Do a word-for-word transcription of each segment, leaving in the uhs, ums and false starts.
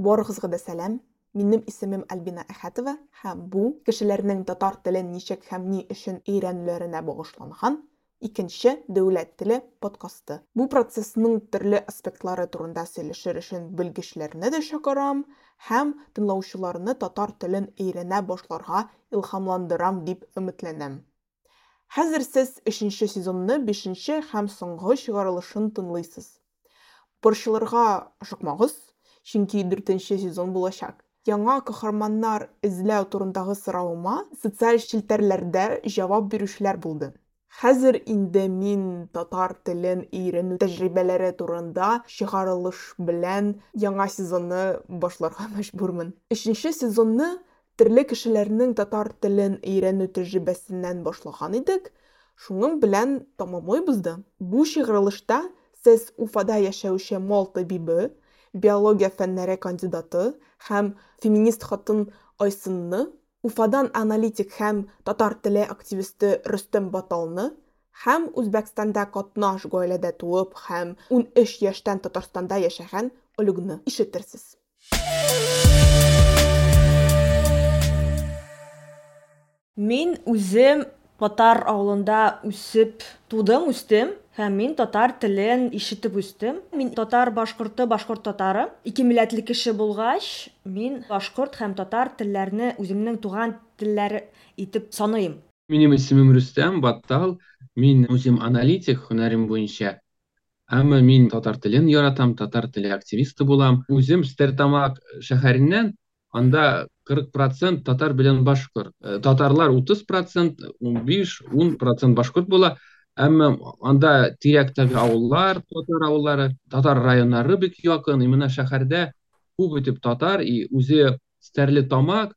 Барыгызга да сәлам. Минем исемем Альбина Әхәтова һәм бу кешеләрнең татар телен ничек һәм ни өчен өйрәнүләренә багышланган икенче дәүләт теле подкасты. Бу процессның төрле аспектлары турында сөйләшер өчен белгечләрне дә чакырам һәм тыңлаучыларны татар телен өйрәнә башларга илһамландырам дип өметләнәм. Хәзер сез өченче сезонны бишенче һәм соңгы чыгарылышын тыңлыйсыз. Борчылырга ашыкмагыз, чөнки дүртенче сезон булачак. Яңа каһарманнар эзләү турындагы соравыма социаль челтәрләрдә җавап бирүчеләр булды. Хәзер инде мин татар телен өйрәнү тәҗрибәләре турында чыгарылыш белән яңа сезонны башларга мәҗбүрмен. Өченче сезонны төрле кешеләрнең татар телен өйрәнү тәҗрибәсеннән башлаган идек, шуның белән тәмамлыйбыз да. Бу чыгарылышта сез Уфада яшәүче мал табибы, биология фәннәре кандидаты һәм феминист хатын Айсынны, Уфадан аналитик һәм татар теле активисты Рөстәм Баталны һәм Үзбәкстанда катнаш гаиләдә туып һәм ун өч яшьтән Татарстанда яшәгән Олегны ишетерсез. Мин үзем татар авылында үсеп тудым, үстем һәм мин татар телен ишетеп үстем. Мин татар башкорты, башкорт татары. Ике милләтле кеше булгач, мин башкорт һәм татар телләрне үземнең туган телләре итеп саныйм. Минем исемем Рөстәм Баттал. Мин үзем аналитик һөнәрем буенча. Әмма мин татар телен яратам, татар теле активисты булам. Үзем Стерлитамак шәһәреннән, анда кырык процент татар белән башкорт. Татарлар утыз процент, ун биш, ун процент башкорт була. Әмма анда тирәктәге авыллар, татар авыллары, татар районнары бик якын. И менә шәһәрдә күп итеп татар, и үзе Стерлитамак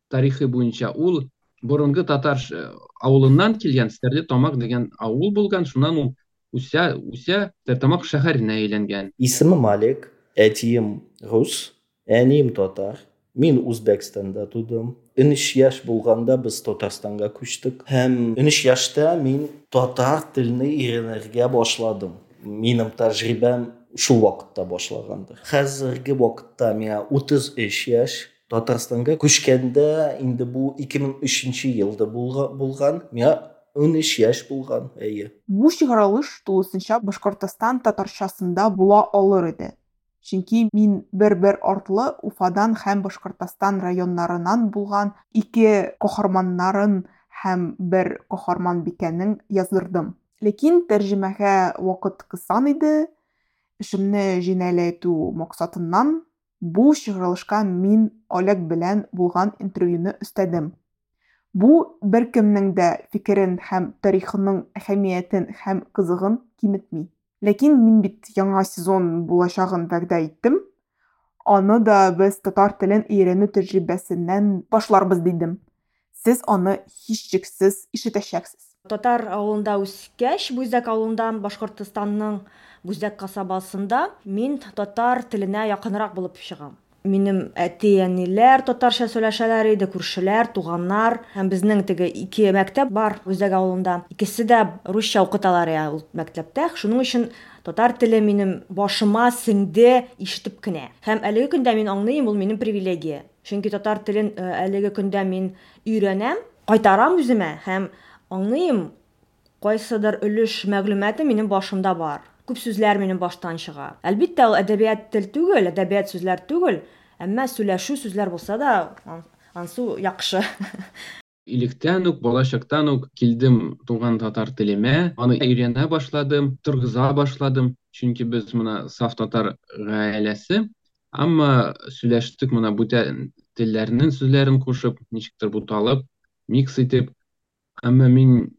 тарихы буенча ул борынгы татар авылыннан килгән Стерлитамак дигән авыл булган, шуннан ул үсә, үсә Стерлитамак шәһәренә әйләнгән. Исемем Алек, әтием рус, әнием татар. Мин Үзбәкстанда тудым. Унөч яшь булганда без Татарстанга күчтек. Һәм унөч яшьтә мин татар телне өйрәнергә башладым. Минем тәҗрибәм шул вакытта башлагандыр. Хәзерге вакытта миңа утыз өч яшь. Татарстанга күчкәндә инде бу ике мең өченче елда булган. Миңа унөч яшь булган, әйе. Бу чыгарылыш тулысынча Башкортостан татарчасында була алыр иде. Чөнки мин бер-бер артлы Уфадан һәм Башкортостан районнарынан булган ике каһарманнарын һәм бер каһарманбикәнең яздырдым. Ләкин тәрҗемәгә вакыт кысан иде. Эшемне җиңеләйтү максатыннан бу чыгарылышка мин Олег белән булган интервьюны өстәдем. Бу беркемнең дә фикерен һәм тарихының әһәмиятен һәм кызыгын киметми. Ләкин мин бит яңа сезон булачагын вәгъдә иттем. Аны да без татар телен өйрәнү тәҗрибәсеннән башларбыз дидем. Сез аны һичшиксез ишетәчәксез. Татар авылында үскәч, Бүздәк авылында, Башкортостанның Бүздәк касабасында мин татар теленә якынрак булып чыгам. Минем әти-әниләр татарча сөйләшәләр иде, күршеләр, туганнар. Һәм безнең теге ике мәктәп бар Бүздәк авылында. Икесе дә русча укыталар я ул мәктәптә. Шуның өчен татар теле минем башыма сеңде ишетеп кенә. Һәм әлеге көндә мин аңлыйм, ул минем привилегия. Чөнки татар телен әлеге көндә мин өйрәнәм, кайтарам үземә һәм аңлыйм, кайсыдыр өлеш мәгълүматы минем башымда бар. Күп сүзләр минем баштан чыга. Әлбиттә, ул әдәбият тел түгел, әдәбият сүзләр түгел, әмма сөйләшү сүзләр булса да, ансу яхшы. Илектән үк, балачактан үк килдем туган татар телемә, аны өйрәнә башладым, торгыза башладым, чөнки без менә саф татар гаиләсе, әмма сөйләштек менә бүтән телләрнең сүзләрен кушып, ничектер буталып, микс итеп. Әмма мин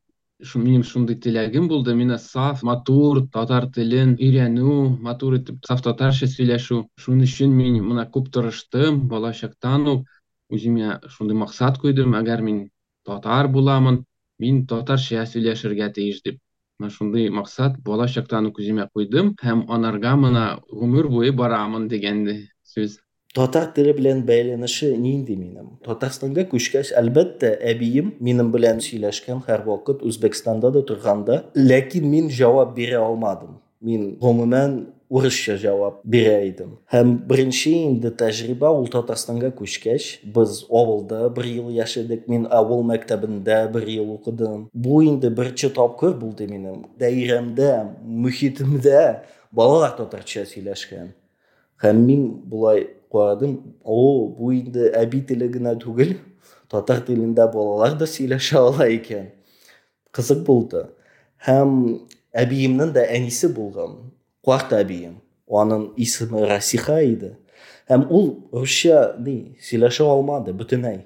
минем шундый теләгем булды, мине саф, матур татар телен өйрәнү, матур итеп саф татарча сөйләшү. Шуның өчен мин менә күп тырыштым, балачактан ук үземә шундый максат куйдым, әгәр мин татар буламын, мин татарча сөйләшергә тиеш дип. Менә шундый максат балачактан ук үземә куйдым һәм анарга менә гомер буе барамын дигән сүз. Татар теле белән бәйләнеше нинди минем? Татарстанга күчкәч, әлбәттә, әбием минем белән сөйләшкән һәрвакыт Үзбәкстанда да торганда, ләкин мин җавап бирә алмадым. Мин гомумән урысча җавап бирә идем. Һәм беренче инде тәҗрибә ул Татарстанга күчкәч, без авылда бер ел яшәдек, мин авыл мәктәбендә бер ел укыдым. Бу инде беренче тапкыр булды минем. Даирәмдә, мөхитемдә балалар татарча сөйләшкән. Һәм мин болай карадым, о, бу инде әби теле генә түгел, татар телендә балалар да сөйләшә ала икән. Кызык булды. Һәм әбиемнең дә әнисе булган, карт әбием. Аның исеме Расиха иде. Һәм ул русча ни сөйләшә алмады бөтенләй.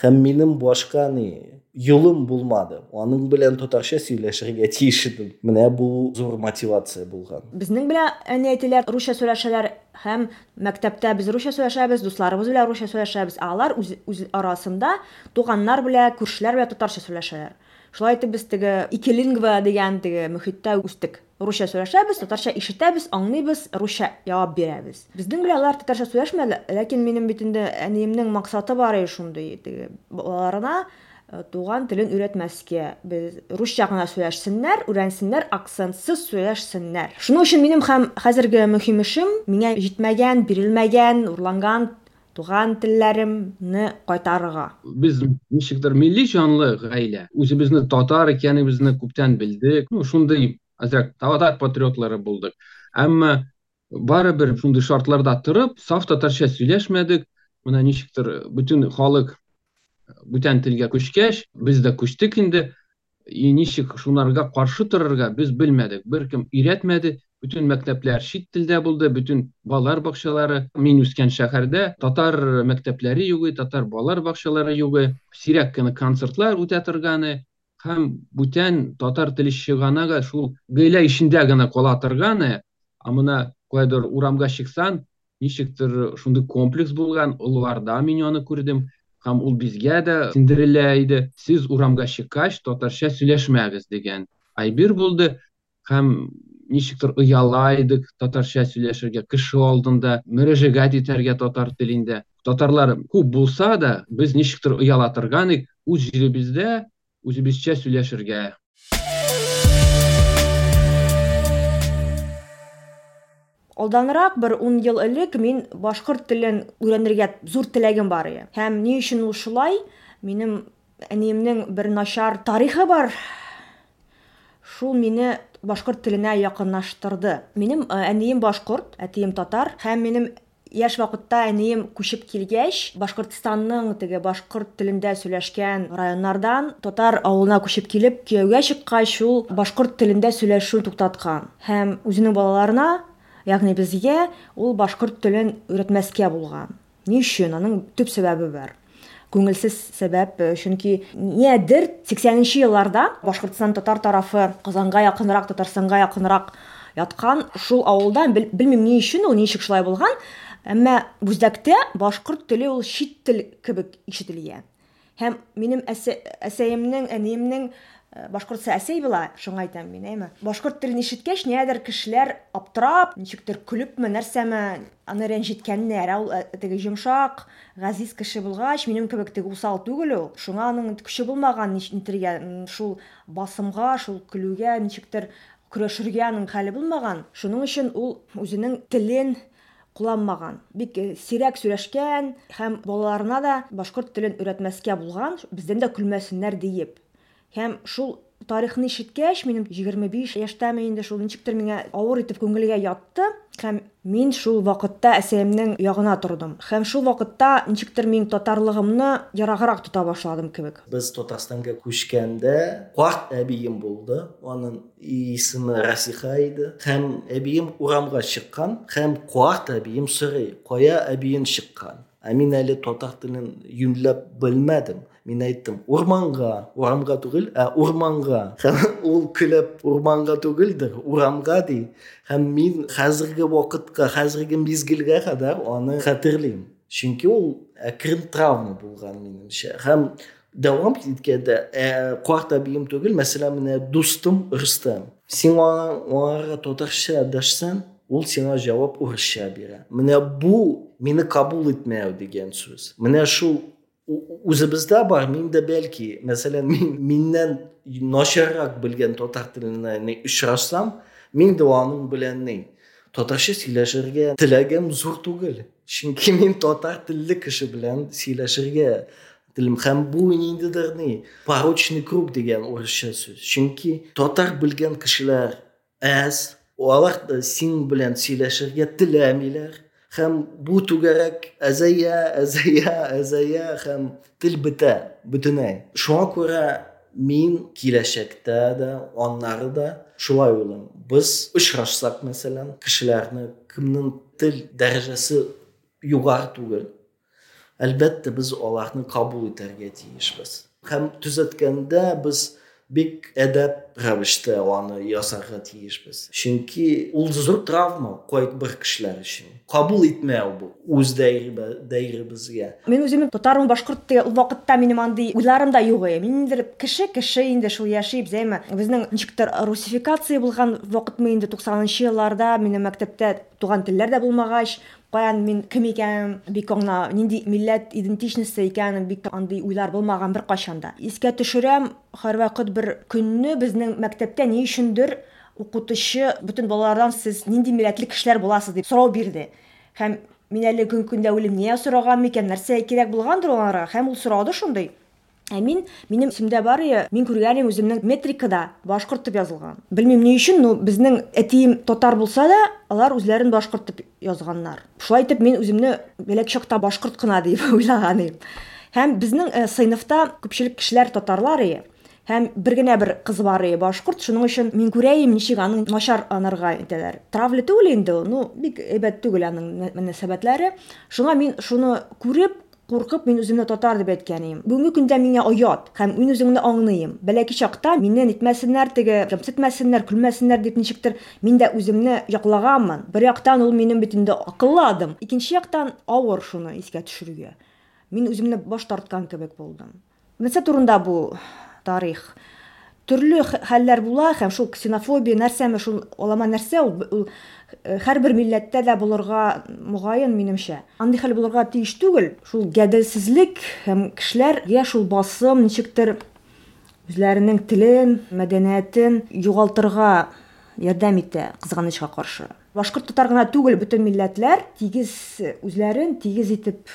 Һәм минем башка ни юлым булмады. Аның белән татарча сөйләшергә тиеш идем. Менә бу зур мотивация булган. Безнең белән әни-әтиләр русча сөйләшәләр һәм мәктәптә без русча сөйләшәбез, дусларыбыз белән русча сөйләшәбез. Ә алар үз, үз арасында туганнар белән, күршеләр белән татарча сөйләшәләр. Шулай итеп без теге ике лингва дигән теге мөхиттә үстек. Русча сөйләшәбез, татарча ишетәбез, аңлыйбыз, русча җавап бирәбез. Безнең белән алар татарча сөйләшмәде, ләкин минем бит инде әниемнең максаты бар иде шундый, теге балаларына туган телен өйрәтмәскә. Без русча гына сөйләшсеннәр, өйрәнсеннәр, акцентсыз сөйләшсеннәр. Шуның өчен минем һәм хәзерге мөһим эшем миңа җитмәгән, бирелмәгән, урланган туган телләремне кайтарырга. Без ничектер милли җанлы гаилә. Үзебезне татар икәнебезне күптән белдек. Ну, шундый азрак татар патриотлары булдык. Әмма барыбер шундый шартларда торып, саф татарча сөйләшмәдек. Менә ничектер бөтен халык бүтән телгә күчкәч, без дә күчтек инде. И ничек шунарга каршы торырга без белмәдек. Беркем өйрәтмәде. Бөтен мәктәпләр чит телдә булды, бөтен балалар бакчалары. Мин үскән шәһәрдә татар мәктәпләре юк, татар балалар бакчалары юк. Сирәк кенә концертлар үтә торганы һәм бүтән татар теле чыганагы шул гаилә эчендә генә кала торганы. Ә менә кайдыр урамга чыксаң, ничектер шундый комплекс булган, олыларда мин аны күрдем. Һәм ул безгә дә синдерелә иде. Сез урамга чыккач татарча сөйләшмәгез дигән әйбер булды. Һәм ничектер ояла идек татарча сөйләшергә, кеше алдында мөрәҗәгать итәргә татар телендә. Татарлар күп булса да, без ничектер ояла торган идек үз җиребездә үзебезчә сөйләшергә. Алданрак бер ун ел элек мин башкорт телен өйрәнергә зур теләгем бар иде. Һәм ни өчен ул шулай? Минем әниемнең бер начар тарихы бар. Шул мине башкорт теленә якынлаштырды. Минем әнием башкорт, әтием татар. Һәм минем яшь вакытта әнием күчеп килгәч, Башкортстанның теге башкорт телендә сөйләшкән районнардан татар авылына күчеп килеп, кияүгә чыккач, ул башкорт телендә сөйләшүен туктаткан. Һәм үзенең балаларына, ягъни безгә, ул башкорт телен өйрәтмәскә булган. Ни өчен? Аның төп сәбәбе бар. Күңелсез сәбәп, чөнки нидер сиксәненче елларда Башкортстан татар тарафы Казанга якынрак, Татарстанга якынрак яткан шул авылда, белмим ни өчен ул ничек шулай булган, әмма Бүздәктә башкорт теле ул чит тел кебек ишетелгән. Һәм минем әсәемнең, әниемнең башкортса әсәй була, шуңа әйтәм мин, әйме? Башкорт телен ишеткәч, нидер кешеләр аптырап, ничектер көлепме, нәрсәме, аны рәнҗеткәннәр. Ә ул теге йомшак, газиз кеше булгач, минем кебек теге усал түгел ул. Шуңа аның көче булмаган нитергә, шул басымга, шул көлүгә ничектер көрәшергә аның хәле булмаган. Шуның өчен ул үзенең телен кулланмаган. Бик сирәк сөйләшкән һәм балаларына да башкорт телен өйрәтмәскә булган, бездән дә көлмәсеннәр диеп. Һәм шул тарихны ишеткәч, минем егерме биш яшьтәме инде, шул ничектер миңа авыр итеп күңелгә ятты. Һәм мин шул вакытта әсәемнең ягына тордым. Һәм шул вакытта ничектер мин татарлыгымны ераграк тота башладым кебек. Без Татарстанга күчкәндә карт әбием булды. Аның исеме Расиха иде. Һәм әбием урамга чыккан, һәм карт әбием сорый: "Кая әбиең чыккан?" Ә мин әле татар телен юньләп белмәдем. Мин әйттем: "Урманга, урамга түгел, ә урманга." Һәм ул көлеп, "Урманга түгелдер, урамга" ди. Һәм мин хәзерге вакытка, хәзерге мизгелгә кадәр аны хәтерлим. Чөнки ул әкрен травма булган минемчә. Һәм дәвам иткәндә, карт әбием түгел, мәсәлән, менә дустым Рөстәм. Син аңа татарча дәшсәң, ул сиңа җавап урысча бирә. Менә бу мине кабул итмәү дигән сүз. Менә шул үзебездә бар, мин дә бәлки, мәсәлән, мин миннән начаррак белгән татар теленә очрашсам, мин дә аның белән ни Татарча сөйләшергә теләгем зур түгел. Чөнки мин татар телле кеше белән сөйләшергә телим. Һәм бу ниндидер ни порочный круг дигән урысча сүз. Чөнки татар белгән кешеләр әз, алар да син белән сөйләшергә теләмиләр. Һәм бу түгәрәк әзәя, әзәя, әзәя һәм тел бетә бөтенләй. Шуңа күрә мин киләчәктә дә, аннары да шулай уйлыйм. Без очрашсак, мәсәлән, кешеләрне, кемнең тел дәрәҗәсе югары түгел, әлбәттә, без аларны кабул итәргә тиешбез. Һәм төзәткәндә без бик әдәп рәвештә аны ясарга тиешбез. Чөнки ул зур травма кайбер кешеләр өчен. Кабул итмәү бу үз даирәбезгә. Мин үземне татармын, башкорт дигән ул вакытта минем андый уйларым да юк иде. Мин инде кеше, кеше инде шул яши, әйме. Безнең ничектер русификация булган вакытмы инде туксанынчы елларда минем мәктәптә туган телләр дә булмагач, каян мин кем икәнем бик аңла, нинди милләт идентичности икәнем бик андый уйлар булмаган бер кайчан да. Искә төшерәм, һәрвакыт бер көнне безнең мәктәптә ни өчендер укытучы бөтен балалардан сез нинди милләтле кешеләр буласыз дип сорау бирде. Һәм мин әле көн көндә уйлыйм, нигә сораган микән, нәрсә кирәк булгандыр аларга, һәм ул сорады шундый. Ә мин, минем исемдә бар иде, мин күргәнем үземнең метрикада башкорт дип язылган. Белмим ни өчен, но безнең әтием татар булса да, алар үзләрен башкорт дип язганнар. Шулай итеп мин үземне бәләк чакта башкорт кына дип уйлаган идем. Һәм безнең, э, сыйныфта күпчелек кешеләр татарлар иде. Һәм бер генә бер кыз бар иде башкорт, шуның өчен мин күрәем ничек аның начар анарга итәләр. Травля түгел инде ул, ну, бик әйбәт түгел аның мөнәсәбәтләре. Шуңа мин шуны күреп, куркып, мин үземне татар дип әйткән идем. Бүгенге көндә миңа оят һәм мин үземне аңлыйм. Бәләкәй чакта мине нитмәсеннәр, теге кимсетмәсеннәр, көлмәсеннәр дип ничектер мин дә үземне яклаганмын. Бер яктан ул минем бит инде акыллы адым. Икенче яктан авыр шуны искә төшерергә. Мин үземне баш тарткан кебек булдым. Нәрсә турында бу тарих? Төрле хәлләр була һәм шул ксенофобия нәрсәме, шул алама нәрсә ул, ул һәрбер милләттә дә булырга мөгаен минемчә. Андый хәл булырга тиеш түгел. Шул гаделсезлек һәм кешеләргә шул басым ничектер үзләренең телен, мәдәниятен югалтырга ярдәм итә, кызганычка каршы. Башкорт татар гына түгел, бөтен милләтләр тигез үзләрен тигез итеп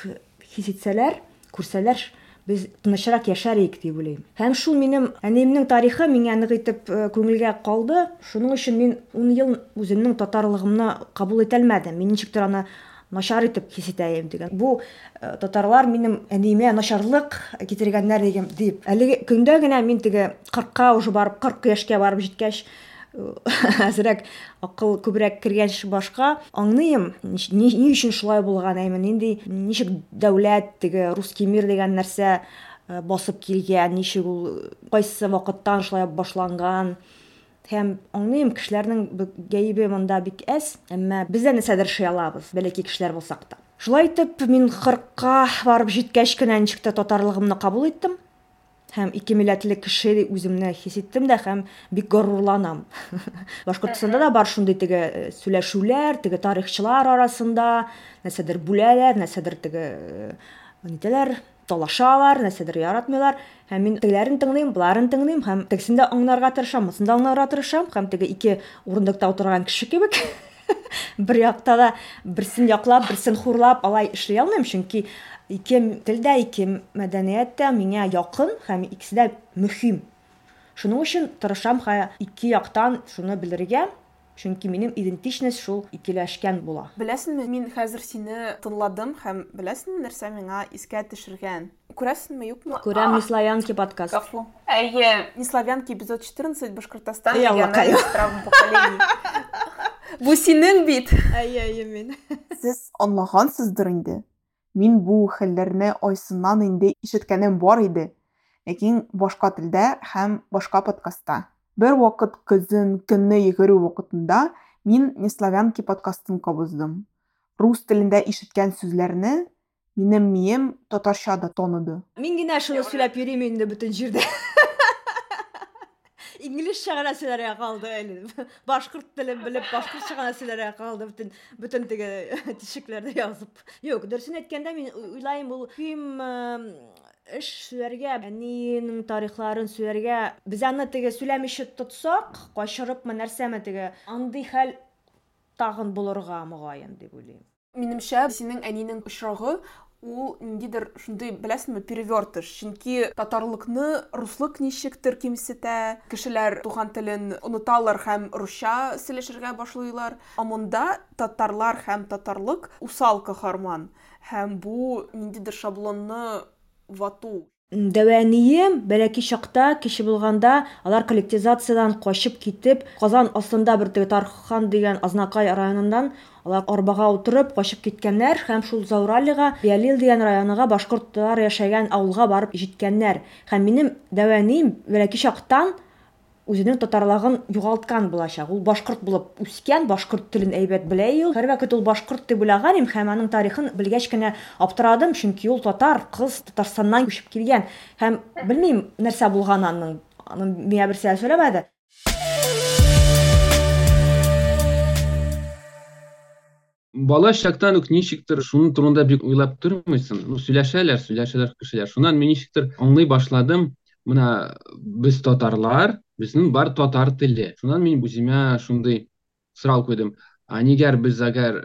хис итсәләр, күрсәләр, без тынычрак яшәр идек дип уйлыйм. Һәм шул минем әниемнең тарихы миңа нык итеп, э, күңелгә калды. Шуның өчен мин ун ел үземнең татарлыгымны кабул итә алмадым. Мин ничектер аны начар итеп хис итәем дигән. Бу, э, татарлар минем әниемә начарлык китергәннәр дигән дип. Әлеге көндә генә мин теге кырыкка уже барып, кырык яшькә барып җиткәч, әзрәк акыл күбрәк кергәч башка аңлыйм, ни, ни, ни өчен шулай булган, әйме, нинди, ничек дәүләт теге русский мир дигән нәрсә, э, басып килгән, ничек ул кайсы вакыттан шулай башланган. Һәм аңлыйм, кешеләрнең гаебе монда бик әз, әмма без дә нәрсәдер эшли алабыз, бәләкәй кешеләр булсак та. Шулай итеп, мин кырыкка барып җиткәч кенә ничек тә татарлыгымны кабул иттем. Һәм ике милләтле кеше үземне хис иттем дә һәм бик горурланам. Башкортстанда да бар шундый теге, э, сөйләшүләр, теге тарихчылар арасында нәрсәдер бүләләр, нәрсәдер теге, э, нитәләр, талашалар, нәрсәдер яратмыйлар. Һәм мин тегеләрен тыңлыйм, боларын тыңлыйм һәм тегесен дә аңларга тырышам, монысын да аңларга тырышам һәм теге ике урындыкта утырган кеше кебек бер якта да берсен яклап, берсен хурлап алай эшли алмыйм, чөнки ике телдә, ике мәдәният тә миңа якын һәм икесе дә мөһим. Шуның өчен тырышам һәм ике яктан шуны белергә, чөнки минем идентичность шул икеләшкән була. Беләсеңме, мин хәзер сине тыңладым һәм беләсеңме, нәрсә миңа искә төшергән? Күрәсеңме, юкмы? Күрәм, Не славянки подкаст. Гафу. Әйе, Не славянки эпизод четырнадцать, Башкортостан, Әй, Аллакай. региональный травма поколений. Бу синең бит. Әйе, әйе, мин. Сез аңлагансыздыр инде. Мин бу хәлләрне Айсыннан инде ишеткәнем бар иде, ләкин башка телдә һәм башка подкастта. Бер вакыт көзен көнне йөгерү вакытында мин Не славянки подкастын кабыздым. Рус телендә ишеткән сүзләрне минем мием татарча да таныды. Мин генә шуны сөйләп йөрим инде бөтен җирдә. Инглизчә генә сөйләргә калды әле. Башкорт телен белеп, башкортча гына сөйләргә калды бөтен, бөтен теге тишекләрдә язып. Юк, дөресен әйткәндә мин уйлыйм, ул кем, э, эш сөйләргә, әнинең тарихларын сөйләргә, без аны теге сөйләмичә тотсак, качырыпмы, нәрсәме теге, андый хәл тагын булырга мөгаен дип уйлыйм. Минемчә, синең әнинең очрагы ул ниндидер шундый, беләсеңме, перевертыш. Чөнки татарлыкны руслык ничектер кимсетә, кешеләр туган телен оныталар һәм русча сөйләшергә башлыйлар. Ә монда татарлар һәм татарлык усал каһарман. Һәм бу ниндидер шаблонны вату. Дәвәнием бәләкәй чакта, кеше булганда, алар коллективизациядән качып китеп, Казан астында бер теге Тархан дигән Азнакай районыннан алар арбага утырып качып киткәннәр һәм шул Зауралига, Ялил дигән районга башкортлар яшәгән авылга барып җиткәннәр. Һәм минем дәвәнием бәләкәй чактан үзенең татарлыгын югалткан булачак. Ул башкорт булып үскән, башкорт телен әйбәт белә ул. Һәрвакыт ул башкорт дип уйлаган идем һәм аның тарихын белгәч кенә аптырадым, чөнки ул татар кыз Татарстаннан күчеп килгән. Һәм белмим нәрсә булган аның. Аның миңа берсе сөйләмәде. Бала чактан ук ничектер шуның турында бик уйлап тормыйсың. Ну, сөйләшәләр, сөйләшәләр кешеләр. Шуннан мин ничектер аңлый башладым. Менә без татарлар, безнең бар татар теле. Шуннан мин үземә шундый сорау куйдым. А нигәр без әгәр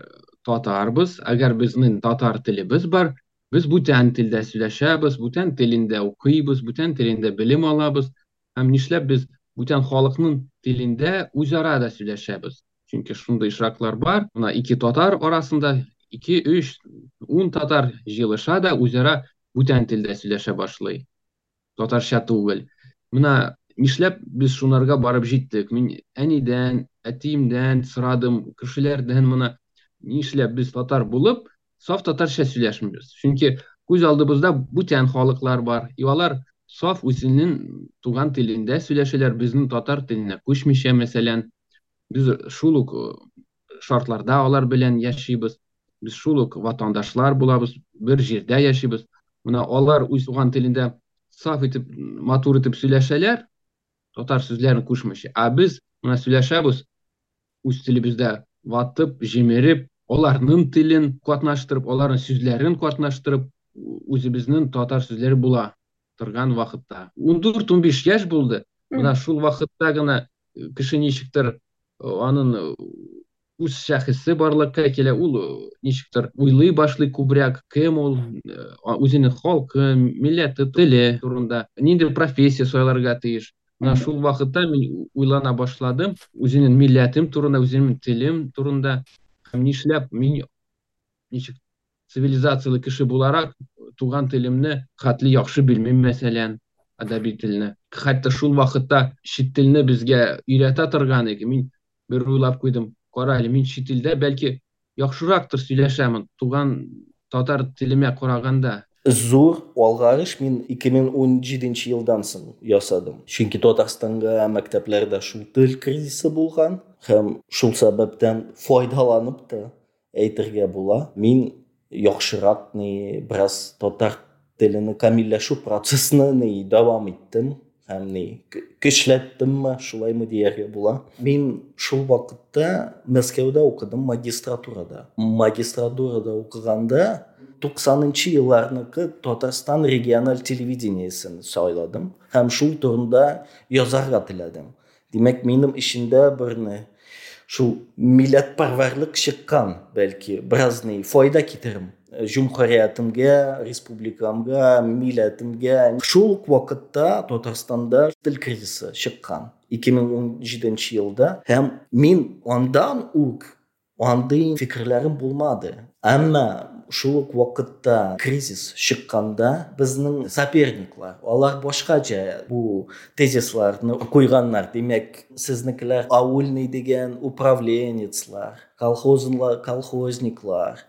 татарбыз, әгәр безнең татар телебез бар, без бүтән телдә сөйләшәбез, бүтән телендә укыйбыз, бүтән телендә белем алабыз. Һәм нишләп без бүтән халыкның телендә үзара да сөйләшәбез? Чөнки шундый очраклар бар. Менә ике татар арасында ике, өч, ун татар җыелыша да үзара бүтән телдә сөйләшә башлый. Татарча түгел. Менә нишләп без шунарга барып җиттек? Мин әнидән, әтиемдән сорадым, кешеләрдән менә нишләп без татар булып, саф татарча сөйләшмибез? Чөнки күз алдыбызда бүтән халыклар бар. И алар саф үзенең туган телендә сөйләшәләр, безнең татар теленә күчмичә, мәсәлән. Без шул ук шартларда алар белән яшибез. Без шул ук ватандашлар булабыз, бер җирдә яшибез. Менә алар үз туган телендә саф итеп, матур итеп сөйләшәләр, татар сүзләрен кушмыйча. Ә без менә сөйләшәбез үз телебездә ватып, җимереп, аларның телен катнаштырып, аларның сүзләрен катнаштырып, үзебезнең татар сүзләре була торган вакытта. Ундүрт, унбиш яшь булды. Менә шул вакытта гына кеше ничектер аның үз шәхесе барлыкка килә, ул ничектер уйлый башлый күбрәк, кем ул, үзенең халкы, милләте, теле турында, нинди профессия сайларга тиеш. Менә шул вакытта мин уйлана башладым, үзенең милләтем турында, үзенең телем турында. Һәм нишләп мин ничек цивилизацияле кеше буларак туган телемне хәтле яхшы белмим, мәсәлән, әдәби телне. Хәтта шул вакытта чит телне безгә өйрәтә торган иде. Мин бер уйлап куйдым, кара әле, мин чит илдә бәлки яхшырактыр сөйләшәмен туган татар телемә караганда. Зур алгарыш мин ике мең унҗиденче елдан соң ясадым. Чөнки Татарстанга мәктәпләрдә шул тел кризисы булган һәм шул сәбәптән файдаланып та әйтергә була. Мин яхшырак ни бераз татар телене камилләшү процессны ни дәвам иттем һәм ни көчләттемме, шулаймы дияргә була. Мин шул вакытта Мәскәүдә укыдым магистратурада. Магистратурада укыганда туксанынчы елларныкы Татарстан региональ телевидениесен сайладым һәм шул турында язарга теләдем. Димәк, минем эчендә берне шул милләтпәрвәрлек чыккан, бәлки бераз ни файда китерем җөмһүриятемгә, республикамга, милләтемгә. Шул ук вакытта Татарстанда тел кризисы чыккан ике мең унҗиденче елда һәм мин андан ук андый фикерләрем булмады. Әмма шул ук вакытта кризис чыкканда безнең соперниклар, алар башкача бу тезисларны куйганнар. Димәк, сезнекеләр аульный дигән управленецлар, колхозлар, колхозниклар.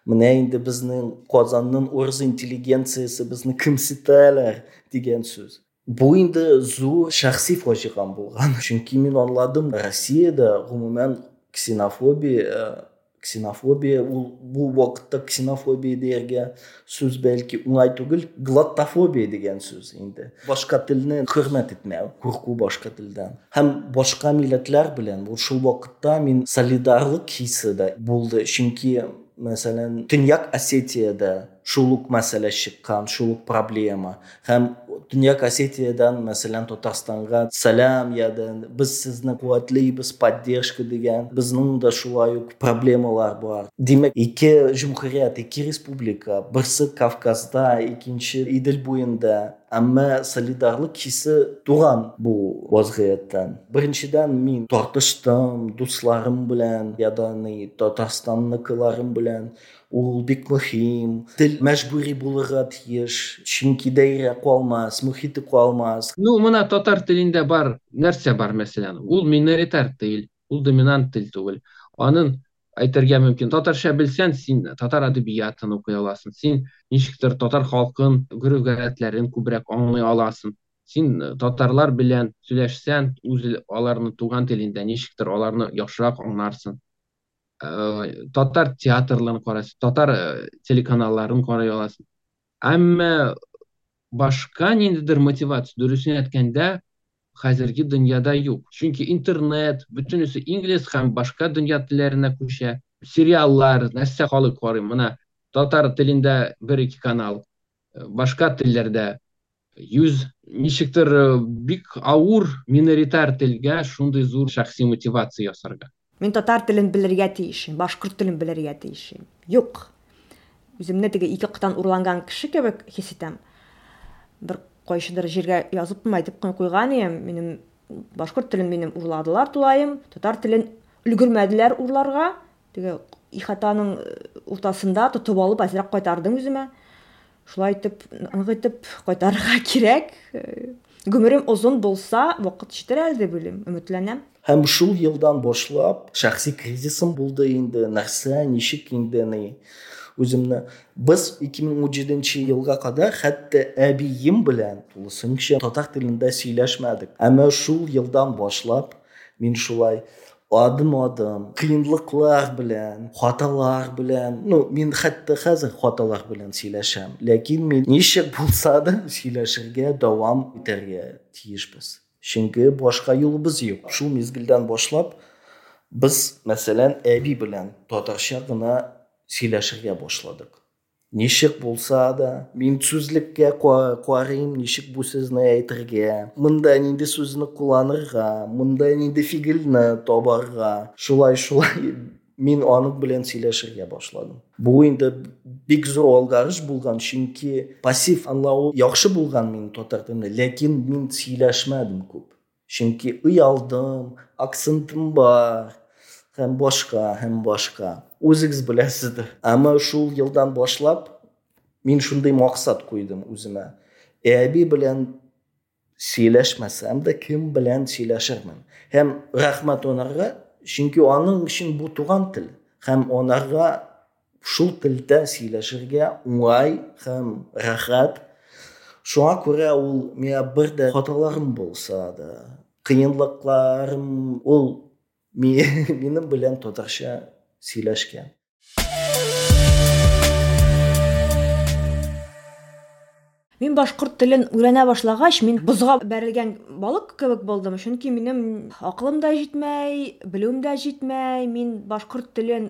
Менә инде безнең Казанның урыс интеллигенциясе безне кимсетәләр дигән сүз. Бу инде зур шәхси фаҗигам булган. Чөнки мин аңладым, Россиядә гомумән ксенофобия, ксенофобия, ул бу вакытта ксенофобия дияргә сүз бәлки уңай түгел, глоттофобия дигән сүз инде. Башка телне хөрмәт итмәү, курку башка телдән. Һәм башка милләтләр белән бу шул вакытта мин солидарлык хисе дә булды. Чөнки, мәсәлән, Төньяк Осетиядә шул ук мәсьәлә чыккан, шул ук проблема. Һәм Төньяк Осетиядән, мәсәлән, Татарстанга сәлам яда без сезне куәтлибез, поддержка дигән. Безнең дә шулай ук проблемалар бар. Димәк, ике җөмһүрият, ике республика, берсе Кавказда, икенче Идел буенда. Әмма солидарлык хисе туган бу вазгыятьтән. Беренчедән, мин тартыштым дусларым белән, ягъни Татарстанныкыларым белән. Ул бик мөһим. Тел мәҗбүри булырга тиеш, чөнки даирә калмас, мөхите калмас. Ну, менә татар телендә бар нәрсә бар, мәсәлән, ул миноритар тел, ул доминант тел түгел. Аның әйтергә мөмкин, татарча белсәң, син татар әдәбиятын укый аласың, син ничектер татар халкын, гореф-гадәтләрен күбрәк аңлый аласың. Син татарлар белән сөйләшсәң, үз аларның туган телендә ничектер аларны яхшырак аңларсың. Э, татар театрларын карайсың, татар телеканалларын карый аласың. Әмма башка ниндидер мотивация, дөресен әйткәндә, хәзерге дөньяда юк. Чөнки интернет, бөтенесе инглиз һәм башка дөнья телләренә күчә. Сериаллар, нәрсә халык карый. Менә татар телендә бер-ике канал, башка телләрдә йөз. Ничектер бик авыр миноритар телгә шундый зур шәхси мотивация ясарга. Мин татар телен белергә тиешем, башкорт телен белергә тиешем. Юк. Үземне теге ике яктан урланган кеше кебек хис итәм. Бер кайсыдыр җиргә язып әйтеп куйган идем, минем башкорт телен минем урладылар тулаем, татар телен өлгермәделәр урларга. Теге ихатаның уртасында тотып алып әзрәк кайтардым үземә. Шулай итеп, нык итеп кайтарырга кирәк. Гомерем озын булса, вакыт җитәр әле дип уйлыйм, өметләнәм. Һәм шул елдан башлап шәхси кризисым булды инде, нәрсә, ничек инде ни үземне. Без ике мең унҗиденче елга кадәр хәтта әбием белән тулысынча татар телендә сөйләшмәдек. Әмма шул елдан башлап мин шулай адым-адым, кыенлыклар белән, хаталар белән, ну, мин хәтта хәзер хаталар белән сөйләшәм, ләкин мин ничек булса да сөйләшергә дәвам итәргә тиешбез. Чөнки башка юлыбыз юк. Шул мизгелдән башлап без, мәсәлән, әби белән татарча гына сөйләшергә башладык. Ничек булса да, мин сүзлеккә карыйм, ничек бу сүзне әйтергә, монда нинди сүзне кулланырга, монда нинди фигыльне табарга. Шулай-шулай мин аның белән сөйләшергә башладым. Бу инде бик зур алгарыш булган, чөнки пассив аңлау яхшы булган мин татар телендә, ләкин мин сөйләшмәдем күп. Чөнки оялдым, акцентым бар, һәм башка, һәм башка. Үзегез беләсездер. Әмма шул елдан башлап мин шундый максат куйдым үземә. Әби белән сөйләшмәсәм дә, кем белән сөйләшермен. Һәм рәхмәт анарга, чөнки аның өчен бу туган тел. Һәм анарга шул телдә сөйләшергә уңай һәм рәхәт. Шуңа күрә ул миңа бер дә хаталарым булса да, кыенлыкларым, ул минем белән татарча сөйләшкән. Мин башкорт телен өйрәнә башлагач, мин бозга бәрелгән балык кебек булдым, чөнки минем акылым да җитмәй, белүем дә җитмәй, мин башкорт телен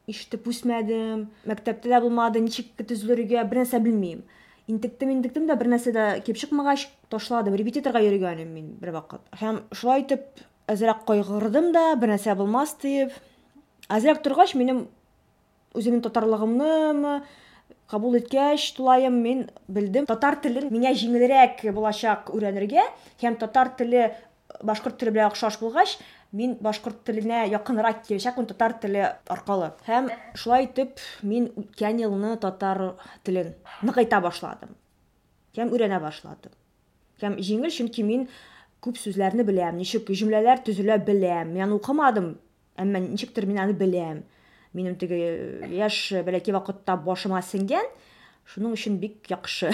ишетеп үсмәдем, мәктәптә дә булмады, ничек төзелергә, бер нәрсә белмим. Интектем, интектем дә бер нәрсә дә килеп чыкмагач, ташладым. Репетиторга йөргән идем мин бер вакыт. Һәм шулай итеп әзрәк кайгырдым да, бер нәрсә булмас дип. Әзрәк торгач, минем үземнең татарлыгымны кабул иткәч, тулаем мин белдем, татар телен миңа җиңелрәк булачак өйрәнергә, һәм татар теле башкорт теле белән охшаш булгач, мин башкорт теленә якынрак киләчәкмен татар теле аркылы. Һәм шулай итеп мин үткән елны татар телен ныгайта башладым. Һәм өйрәнә башладым. Һәм җиңел, чөнки мин күп сүзләрне беләм, ничек җөмләләр төзелә беләм. Мин аны укымадым, әмма ничектер мин аны беләм. Минем теге яшь бәләкәй вакытта башыма сеңгән, шуның өчен бик яхшы.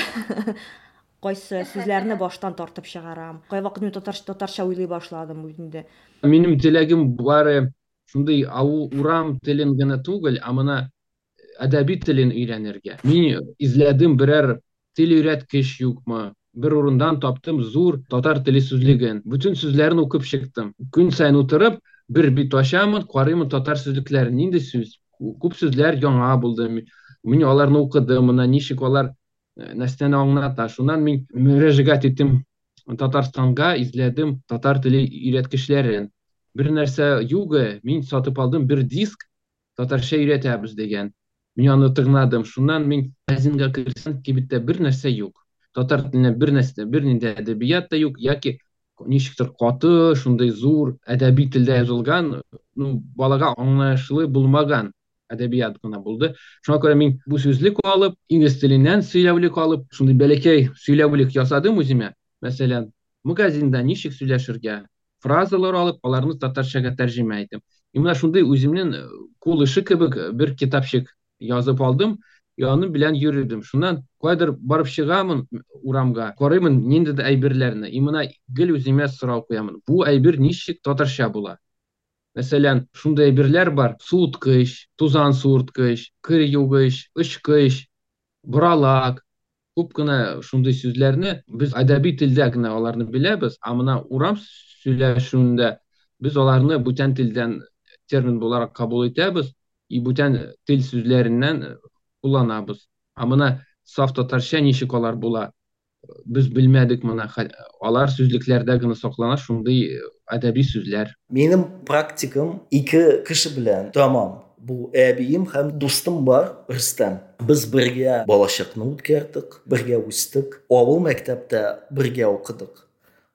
Кайсы сүзләрне баштан тартып чыгарам. Кайвакыт мин татар, татарча уйлый башладым инде. Минем теләгем бары шундый авыл урам телен генә түгел, ә менә әдәби телен өйрәнергә. Мин эзләдем берәр тел өйрәткеч юкмы? Бер урындан таптым зур татар теле сүзлеген. Бөтен сүзләрен укып чыктым. Көн саен утырып, бер бит ачамын, карыймын татар сүзлекләрен. Нинди сүз? Күп сүзләр яңа булды. Мин аларны укыдым, менә ничек алар нәрсәне аңлата. Шуннан мин мөрәҗәгать иттем Татарстанга, эзләдем татар теле өйрәткечләрен. Бер нәрсә юк, мин сатып алдым бер диск, татарча өйрәтәбез дигән. Мин аны тыңладым. Шуннан мин магазинга керсәм, кибеттә бер нәрсә юк. Татар теленә бер нәрсә, бернинди әдәбият та юк, яки ничектер каты, шундый зур әдәби телдә язылган, ну, балага аңлаешлы булмаган әдәбият кына булды. Шуңа күрә мин бу сүзлек алып, инглиз теленнән сөйләүлек алып, шундый бәләкәй сөйләүлек ясадым үземә. Мәсәлән, магазинда ничек сөйләшергә, фразалар алып, аларны татарчага тәрҗемә иттем. И менә шундый үземнең кул эше кебек бер китапчык язып алдым, и аның белән йөрдем. Шуннан кайдыр барып чыгамын урамга, карыймын ниндидер әйберләрне. И менә гел үземә сорау куямын. Бу әйбер ничек татарча була? Мәсәлән, шундый әйберләр бар: суыткыч, тузан суырткыч, кер югыч, очкыч, боралак. Күп кенә шундый сүзләрне без әдәби телдә генә аларны беләбез, ә менә урам сөйләшүендә без аларны бүтән телдән термин буларак кабул итәбез и бүтән тел сүзләреннән кулланабыз. Ә менә саф татарча ничек алар була? Без белмәдек моны. Алар сүзлекләрдә генә саклана шундый әдәби сүзләр. Минем практикам ике кеше белән тәмам. Бу әбием һәм дустым бар, Рөстәм. Без бергә балачакны үткәрдек, бергә үстек, авыл мәктәптә бергә укыдык.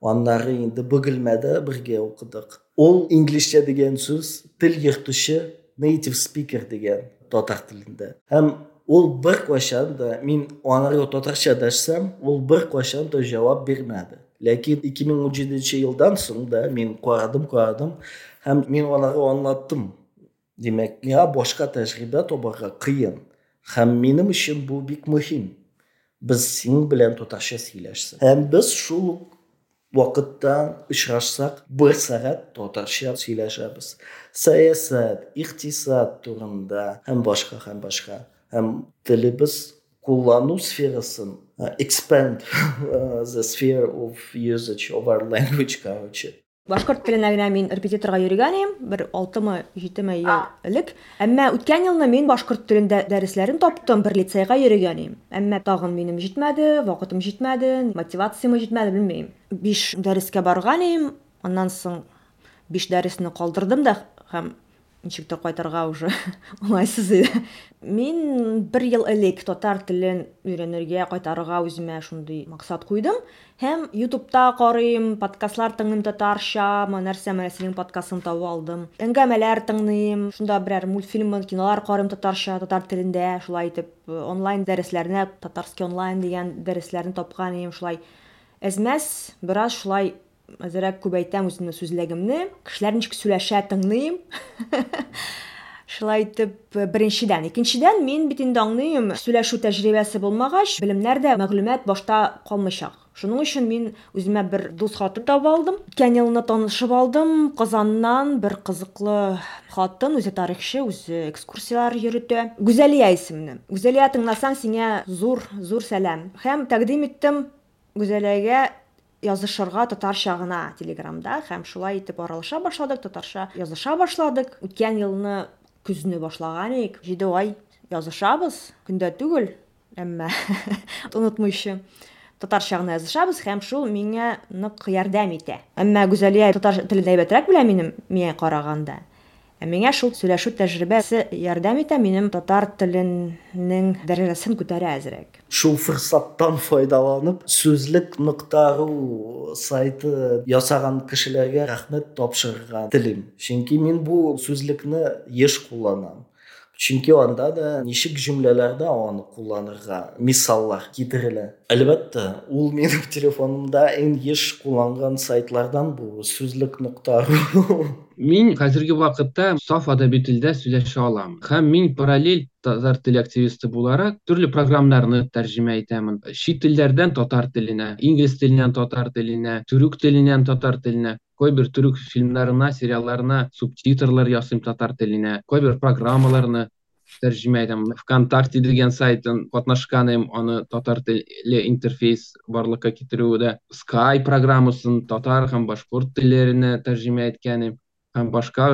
Аннары инде Бөгелмәдә бергә укыдык. Ул инглизчә дигән сүз тел йөртүче, native speaker дигән татар телендә. Һәм ул бер кайчан да, мин анарга татарча дәшсәм, ул бер кайчан да җавап бирмәде. Ләкин ике мең унҗиденче елдан соң да мин карадым, карадым һәм мин анарга аңлаттым. Димәк, миңа башка тәҗрибә табарга кыен. Һәм минем өчен бу бик мөһим. Без синең белән татарча сөйләшсәк. Һәм без шул ук вакытта очрашсак, бер сәгать татарча сөйләшәбез. Сәясәт, икътисад турында һәм башка, һәм башка. Һәм телебез куллану сферасын, expand the sphere of usage of our language, короче. Башкорт теленә генә мин репетиторга йөргән идем, бер алтымы, җидеме ел элек. Әмма үткән елны мин башкорт телендә дәресләрен таптым, бер лицейга йөргән идем. Әмма тагын минем җитмәде, вакытым җитмәде, мотивациям җитмәде, белмим. Биш дәрескә барган идем, аннан соң биш дәресне калдырдым да һәм ничектер кайтырга уже уңайсыз иде. Мин бер ел элек татар телен өйрәнергә, кайтарырга үземә шундый максат куйдым. Һәм YouTube'та карыйм, подкастлар тыңлыйм татарча, менә нәрсә, менә синең подкастың табып алдым. Әңгәмәләр тыңлыйм, шунда берәр мультфильм, кинолар карыйм татарча, татар телендә, шулай итеп онлайн дәресләренә, татарский онлайн дигән дәресләрне тапкан идем, шулай әзмәс, бераз шулай әзерәк күбәйтәм үземнең сүзлегемне, кешеләр ничек сөйләшә тыңлыйм. Шулай итеп, беренчедән. Икенчедән, мин бит инде аңлыйм, сөйләшү тәҗрибәсе булмагач, белемнәр дә, мәгълүмат башта калмыйчак. Шуның өчен мин үземә бер дус хатын табып алдым. Үткән елны танышып алдым. Казаннан бер кызыклы хатын, үзе тарихчы, үзе экскурсияләр йөртә. Гүзәлия исемле. Гүзәлия, тыңласаң, сиңа зур, зур сәлам. Һәм тәкъдим иттем Гүзәлиягә язышырга татарча гына Телеграмда, һәм шулай итеп аралаша башладык, татарча языша башладык. Үткән елны көзне башлаган идек. Җиде ай язышабыз, көндә түгел, әмма онытмыйча татарча гына язышабыз, һәм шул миңа нык ярдәм итә. Әмма Гүзәлия татар телен әйбәтрәк белә минем, миңа караганда. Ә миңа шул сөйләшү тәҗрибәсе ярдәм итә, минем татар теленең дәрәҗәсен күтәрә әзрәк. Шул форсаттан файдаланып, сүзлек нокта ру сайты ясаган кешеләргә рәхмәт тапшырырга телим. Чөнки мин бу сүзлекне еш кулланам. Чөнки анда да ничек җөмләләрдә аны кулланырга мисаллар китерелә. Әлбәттә, ул минем телефонымда иң еш кулланган сайтлардан бу сүзлек нокта ру. Мин хәзерге вакытта саф әдәби телдә сөйләшә алам. Һәм мин параллель татар теле активисты буларак төрле программаларны тәрҗемә итәмен. Чит телләрдән татар теленә, инглиз теленнән татар теленә, төрек теленнән татар теленә, кайбер төрек фильмнарына, сериалларына субтитрлар ясыйм татар теленә, кайбер программаларны тәрҗемә итәм. ВКонтакте дигән сайтын катнашкан идем, аны татар теле интерфейс барлыкка китерүдә, Skype программасын татар һәм башкорт телләренә тәрҗемә иткән идем. Һәм башка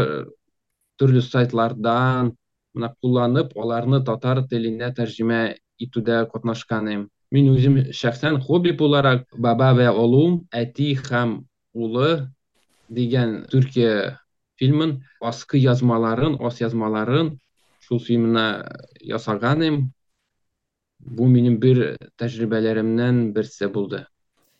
төрле сайтлардан менә кулланып, аларны татар теленә тәрҗемә итүдә катнашкан идем. Мин үзем шәхсән хобби буларак Баба вә Олум, Әти һәм улы дигән Төркия фильмын, аскы язмаларын, ас язмаларын шул фильмына ясаган идем. Бу минем бер тәҗрибәләремнән берсе булды.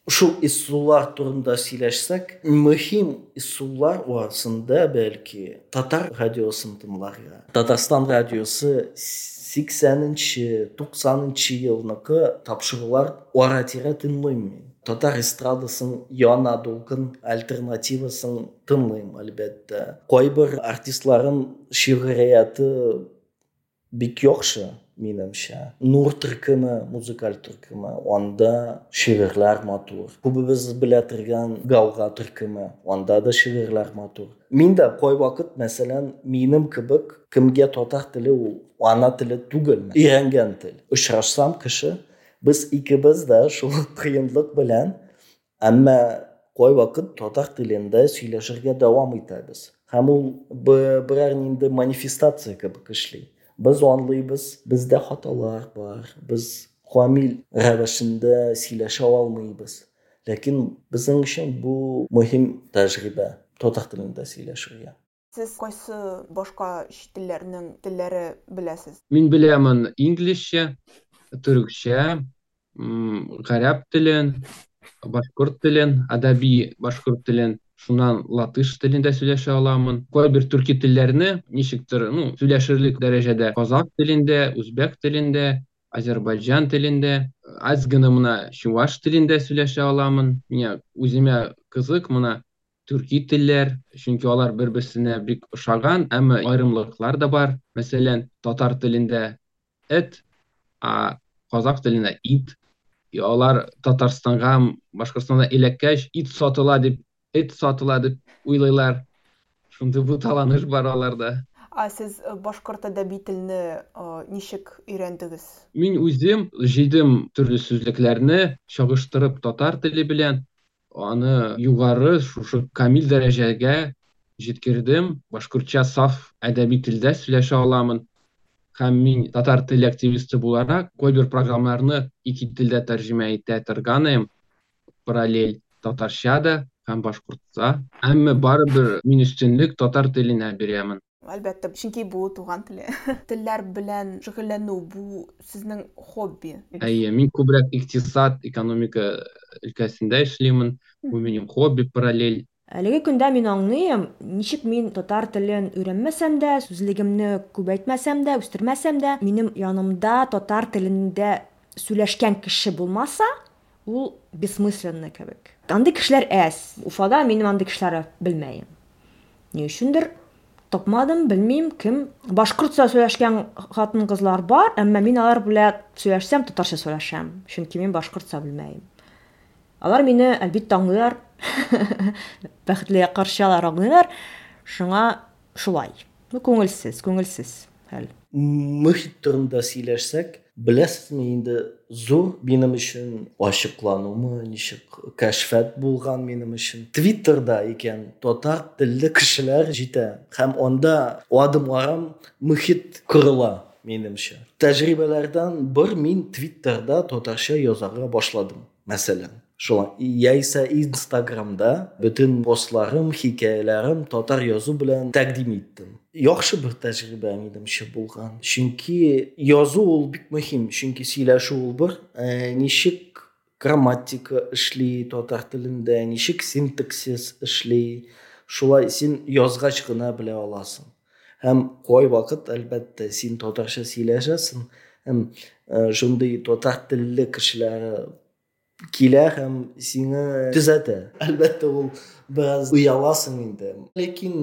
Шул ысуллар турында сөйләшсәк, мөһим ысуллар арасында бәлки татар радиосын тыңларга. Татарстан радиосы сиксәненче, туксанынчы елныкы тапшырулар ара-тирә тыңлыйм мин. Татар эстрадасын яңа дулкын альтернативасын тыңлыйм, әлбәттә. Кайбер артистларын шигърияте бик яхшы, минемчә. Нур төркеме, музыкаль төркеме, анда шигырьләр матур. Күбебез белә торган Гауга төркеме, анда да шигырьләр матур. Мин дә кайвакыт, мәсәлән, минем кебек кемгә татар теле ул ана теле түгел, өйрәнгән тел. Очрашсам кеше, без икебез дә шул кыенлык белән, әмма кайвакыт татар телендә сөйләшергә дәвам итәбез. Һәм ул берәр нинди манифестация кебек эшли. Без аңлыйбыз, бездә хаталар бар, без камил рәвешендә сөйләшә алмыйбыз. Ләкин безнең өчен бу мөһим тәҗрибә татар телендә сөйләшергә. Сез кайсы башка чит телләрнең телләре беләсез? Мин беләмен инглизчә, төрекчә, гарәп телен, башкорт телен, әдәби башкорт телен, шуннан латыш телендә сөйләшә аламын. Кайбер төрки телләрне ничектер, ну, сөйләшерлек дәрәҗәдә казак телендә, үзбәк телендә, азербайҗан телендә, аз гына менә чуваш телендә сөйләшә аламын. Миңа үземә кызык менә төрки телләр, чөнки алар бер-берсенә бик ошаган, әмма аерымлыклар да бар. Мәсәлән, татар телендә эт, а казак телендә ит. И алар Татарстанга, Башкортстанга эләккәч, ит сатыла дип, эт сатыла дип уйлыйлар. Шундый буталаныш бар аларда. А сез башкорт әдәби телне ничек өйрәндегез? Мин үзем җыйдым төрле сүзлекләрне, чагыштырып татар теле белән, аны югары шушы камил дәрәҗәгә җиткердем. Башкортча саф әдәби телдә сөйләшә аламын. Һәм мин татар теле активисты буларак кайбер программаларны ике телдә тәрҗемә итә торган идем. Параллель татарча да һәм башкортча. Әмма барыбер мин өстенлек татар теленә бирәмен. Әлбәттә, чөнки бу туган теле. Телләр белән шөгыльләнү бу сезнең хобби. Әйе, мин күбрәк икътисад, экономика өлкәсендә эшлимен. Бу минем хобби параллель. Әлеге көндә мин аңлыйм, ничек мин татар телен өйрәнмәсәм дә, сүзлегемне күбәйтмәсәм дә, үстермәсәм дә, минем янымда татар телендә сөйләшкән кеше булмаса, ул бессмысленно кебек. Андый кешеләр әз. Уфада минем андый кешеләрне белмәем. Ни өчендер тапмадым, белмим кем. Башкортча сөйләшкән хатын-кызлар бар, әмма мин алар белән сөйләшсәм, татарча сөйләшәм, чөнки мин башкортча белмәем. Алар мине әлбәттә аңлыйлар. Бәхетле каршы алар аңлыйлар. Шуңа шулай. Бу күңелсез, күңелсез хәл. Мөхит турында сөйләшсәк, беләсезме инде зур минем өчен ачыкланумы, ничек кәшфәт булган минем өчен. Твиттерда икән татар телле кешеләр җитә һәм анда адым-арам мөхит корыла минемчә. Тәҗрибәләрдән бер мин Твиттерда татарча язарга башладым, мәсәлән. Шулай, яисә Инстаграмда бөтен постларым, хикәяләрем татар язу белән тәкъдим иттем. Яхшы бер тәҗрибә минемчә булган. Чөнки язу ул бик мөһим, чөнки сөйләшү ул бер, ә, ничек грамматика эшли татар телендә, ничек синтаксис эшли, шулай син язгач кына белә аласың. Һәм кайвакыт, әлбәттә, син татарча сөйләшәсең, һәм шундый татар телле кешеләр килә һәм сине төзәтә. Әлбәттә, ул бераз ояласың инде. Ләкин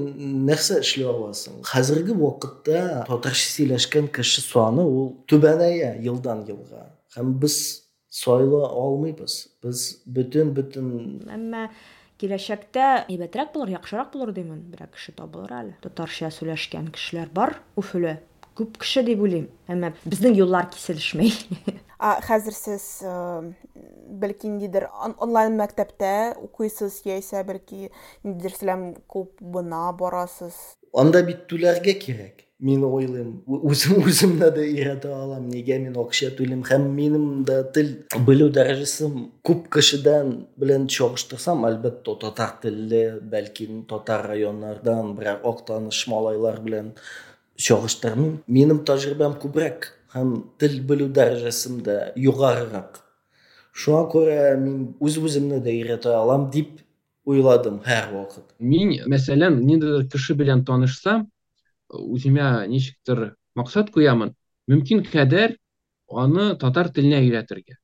нәрсә эшли аласың? Хәзерге вакытта татарча сөйләшкән кеше саны ул түбәнәя елдан елга. Һәм без сайла алмыйбыз. Без бөтен-бөтен Әмма киләчәктә әйбәтрәк булыр, яхшырак булыр димен. Берәр кеше табылыр әле. Татарча сөйләшкән кешеләр бар Өфөлә. Күп кеше дип уйлыйм. Әмма безнең юллар киселешмәй. А хәзер сез, бәлки ниндидер онлайн мәктәптә укыйсыз, яисә бәлки ниндидер сәлам клубына барасыз? Анда бит түләргә кирәк. Мин уйлыйм, үзем үземне дә өйрәтә алам, нигә мин акча түлим һәм минем дә тел белү дәрәҗәсем күп кешедән белән чагыштырсам, әлбәттә, татар телле, бәлки татар районнардан берәр Актаныш малайлар белән чагыштырмыйм. Минем тәҗрибәм күбрәк һәм тел белү дәрәҗәсем дә югарырак. Шуңа күрә мин үз-үземне дә өйрәтә алам дип уйладым һәрвакыт. Мин, мәсәлән, ниндидер кеше белән танышсам, үземә ничектер максат куямын, мөмкин кадәр аны татар теленә өйрәтергә.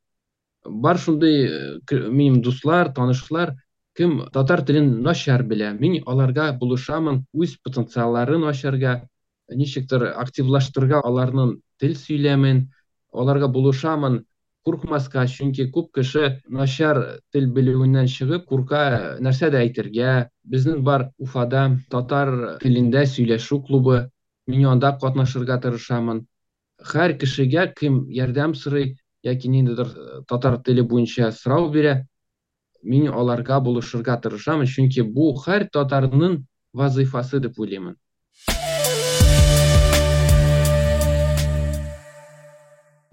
Бар шундый, э, к-, минем дуслар, танышлар, кем татар телен начар белә, мин аларга булышамын, үз потенциалларын ачарга, ничектер активлаштырырга аларның тел сөйләмен, аларга булышамын, куркмаска, чөнки күп кеше начар тел белүеннән чыгып курка нәрсә дә әйтергә. Безнең бар Уфада татар телендә сөйләшү клубы, мин анда катнашырга тырышамын. Һәр кешегә кем ярдәм сорый яки ниндидер татар теле буенча сорау бирә, мин аларга булышырга тырышамын, чөнки бу һәр татарның вазыйфасы дип уйлыймын.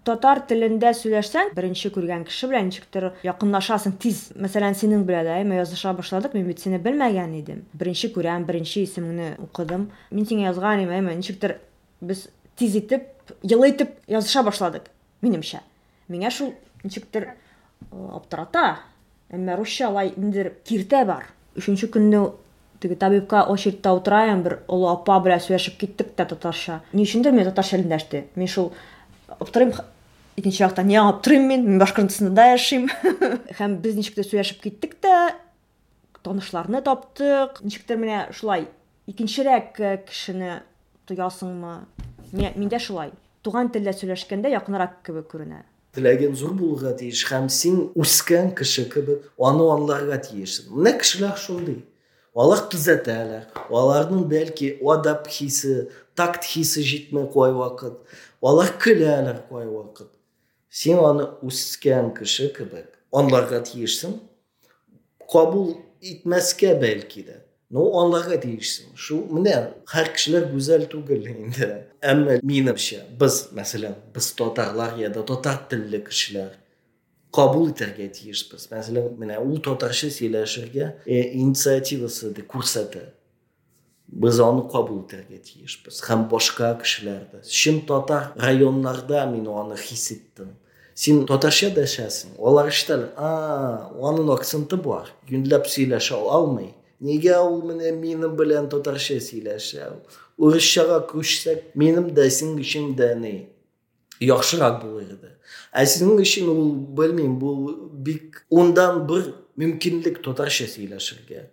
Татар телендә сөйләшсәң, беренче күргән кеше белән ничектер якынлашасың тиз. Мәсәлән, синең белән дә, әйме, языша башладык, мин бит сине белмәгән идем. Беренче күрәм, беренче исемеңне укыдым. Мин сиңа язган идем, әйме, ничектер без тиз итеп, елы итеп языша башладык, минемчә. Миңа шул ничектер, э, аптырата. Әмма русча алай ниндидер киртә бар. Өченче көнне теге табибка очередьта утырайым, бер олы апа белән сөйләшеп киттек тә татарча. Ни өчендер мин татарча эндәште. Мин шул аптырыйм, икенче яктан не аптырыйм мин, мин Башкортстанда яшим. Һәм без ничек тә сөйләшеп киттек тә, танышларны таптык. Ничектер менә шулай икенчерәк, э, кешене тоясыңмы? Мин, миндә шулай. Туган телдә сөйләшкәндә якынрак кебек күренә. Теләгең зур булырга тиеш һәм син үскән кеше кебек аны аңларга тиешсең. Менә кешеләр шундый. Алар төзәтәләр. Аларның бәлки адап хисе, такт хисе җитми кайвакыт. Алар көләләр кайвакыт. Син аны үскән кеше кебек аңларга тиешсең. Кабул итмәскә бәлки дә. Но аңларга тиешсең. Шу менә һәр кешеләр гүзәл түгел инде. Әмма минемчә, без, мәсәлән, без татарлар я да татар телле кешеләр кабул итәргә тиешбез. Мәсәлән, менә ул татарча сөйләшергә, э, инициативасы да күрсәтә. Без аны кабул итәргә тиешбез. Һәм башка кешеләр дә. Чын татар районнарда мин аны хис иттем. Син татарча дәшәсең, алар ишетәләр. А, аның акценты бар. Юньләп сөйләшә алмый. Нигә ул менә минем белән татарча сөйләшә? Урысчага күчсәк, минем дә синең өчен дә ни яхшырак булыр иде. Ә синең өчен ул, белмим, бу бик ундан бер мөмкинлек татарча сөйләшергә.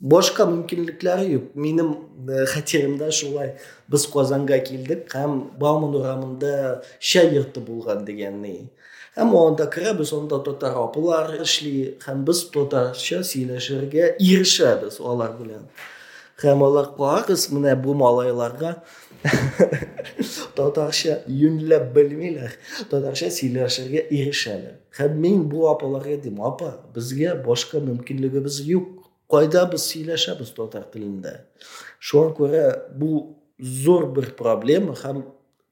Башка мөмкинлекләре юк. Минем, э, хәтеремдә шулай без Казанга килдек һәм Бауман урамында чәй йорты булган дигән ни. Һәм анда керәбез, анда татар апалар эшли һәм без татарча сөйләшергә ирешәбез алар белән. Һәм алар карагыз, менә бу малайларга татарча юньләп белмиләр, татарча сөйләшергә ирешәләр. Һәм мин бу апаларга дим, апа, безгә башка мөмкинлегебез юк. Кайда без сөйләшәбез татар телендә? Шуңа күрә бу зур бер проблема һәм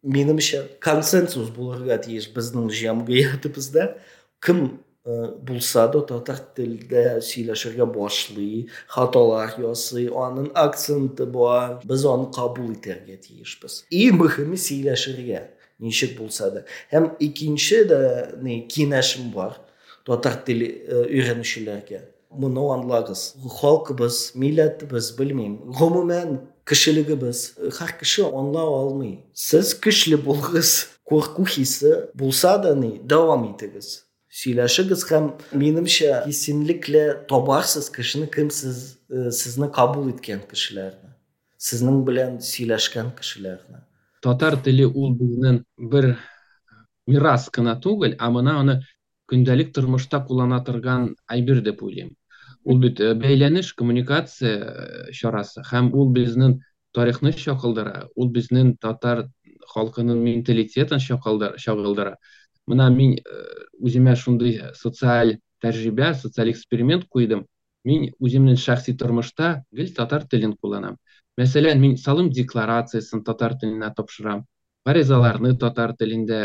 минемчә консенсус булырга тиеш безнең җәмгыятебездә. Кем, э, булса да татар телдә сөйләшергә башлый, хаталар ясый, аның акценты бар, без аны кабул итәргә тиешбез. Иң мөһиме сөйләшергә, ничек булса да. Һәм икенче дә ни киңәшем бар татар теле, э, өйрәнүчеләргә. Моны аңлагыз. Халкыбыз, милләтебез, белмим, гомумән кешелегебез, һәр кеше аңлау алмый. Сез көчле булыгыз, курку хисе булса да ни, дәвам итегез. Сөйләшегез һәм минемчә кисенлекле табарсыз кешене, кем сез, э, сезне кабул иткән кешеләрне, сезнең белән сөйләшкән кешеләрне. Татар теле ул безнең бер мирас кына түгел, ә менә аны көндәлек тормышта куллана торган әйбер дип уйлыйм. Ул бит, э, бәйләнеш, коммуникация, э, чарасы һәм ул безнең тарихны чагылдыра, ул безнең татар халкының менталитетын чагылдыра, чагылдыра. Менә мин, э, үземә шундый социаль тәҗрибә, социаль эксперимент куйдым. Мин үземнең шәхси тормышта гел татар телен кулланам. Мәсәлән, мин салым декларациясен татар теленә тапшырам, гаризаларны татар телендә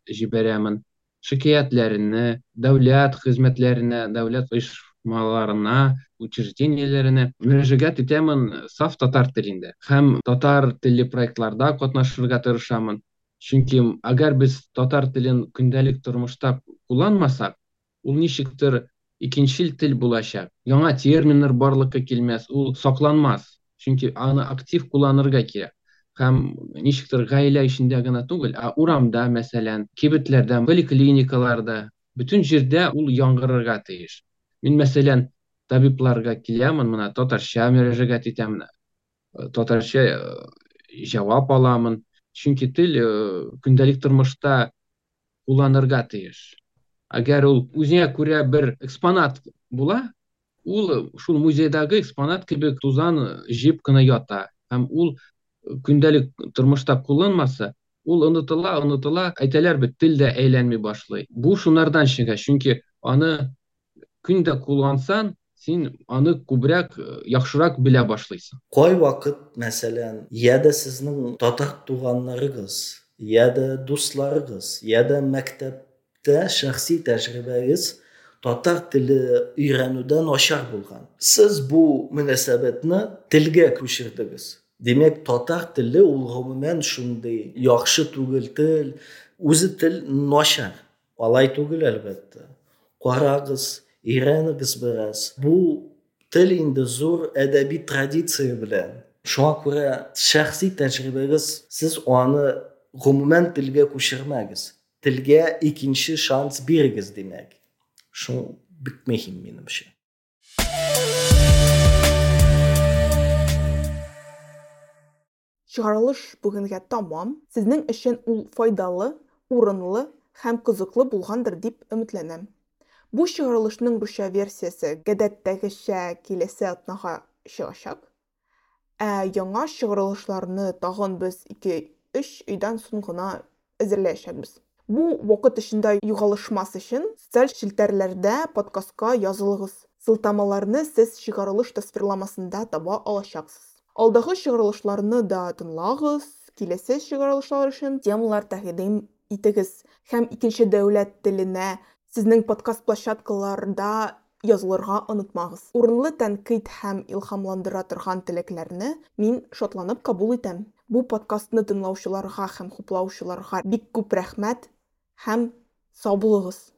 җибәрәмен, шикаятьләрне, дәүләт хезмәтләренә, дәүләт оешмаларына, учреждениеләренә мөрәҗәгать итәмен саф татар телендә. Һәм татар телле проектларда катнашырга тырышамын. Чөнки әгәр без татар телен көндәлек тормышта кулланмасак, ул ничектер икенчел тел булачак. Яңа терминнар барлыкка килмәс, ул сакланмас. Чөнки аны актив кулланырга кирәк. Һәм ничектер гаилә эчендә генә түгел, ә урамда, мәсәлән, кибетләрдә, поликлиникаларда, бөтен җирдә ул яңгырырга тиеш. Мин, мәсәлән, табибларга киләмен, менә татарча мөрәҗәгать итәмен, татарча җавап аламын. Чөнки тел көндәлек тормышта кулланырга тиеш. Әгәр ул үзенә күрә бер экспонат була, ул шул музейдагы экспонат кебек тузан җыеп кына ята. Һәм ул көндәлек тормышта кулланмаса, ул онытыла, онытыла, әйтәләр бит, тел дә әйләнми башлый. Бу шунардан чыга, чөнки аны көндә куллансаң, син аны күбрәк, яхшырак белә башлыйсың. Кайвакыт, мәсәлән, я да сезнең татар туганнарыгыз, я да дусларыгыз, я да мәктәптә шәхси тәҗрибәгез татар теле өйрәнүдә начар булган. Сез бу мөнәсәбәтне телгә күчердегез. Димәк, татар теле ул гомумән шундый яхшы түгел тел, үзе тел начар. Алай түгел, әлбәттә. Карагыз, өйрәнегез бераз. Бу тел инде зур әдәби традиция белән. Шуңа күрә шәхси тәҗрибәгез, сез аны гомумән телгә күчермәгез. Телгә икенче шанс бирегез, димәк. Шул бик мөһим минемчә. Чыгарылыш бүгенгә тамам. Сезнең өчен ул файдалы, урынлы һәм кызыклы булгандыр дип өметләнәм. Бу чыгарылышның русча версиясе гадәттәгечә киләсе атнага чыгачак. Ә яңа чыгарылышларны тагын без ике-өч айдан соң гына әзерләячәкбез. Бу вакыт эчендә югалышмас өчен социаль челтәрләрдә подкастка язылыгыз. Сылтамаларны сез чыгарылыш тасвирламасында таба алачаксыз. Алдагы чыгарылышларны да тыңлагыз, киләсе чыгарылышлар өчен темалар тәкъдим итегез һәм икенче дәүләт теленә сезнең подкаст площадкаларында язылырга онытмагыз. Урынлы тәнкыйть һәм илһамландыра торган теләкләрне мин шатланып кабул итәм. Бу подкастны тыңлаучыларга һәм хуплаучыларга бик күп рәхмәт һәм сау булыгыз.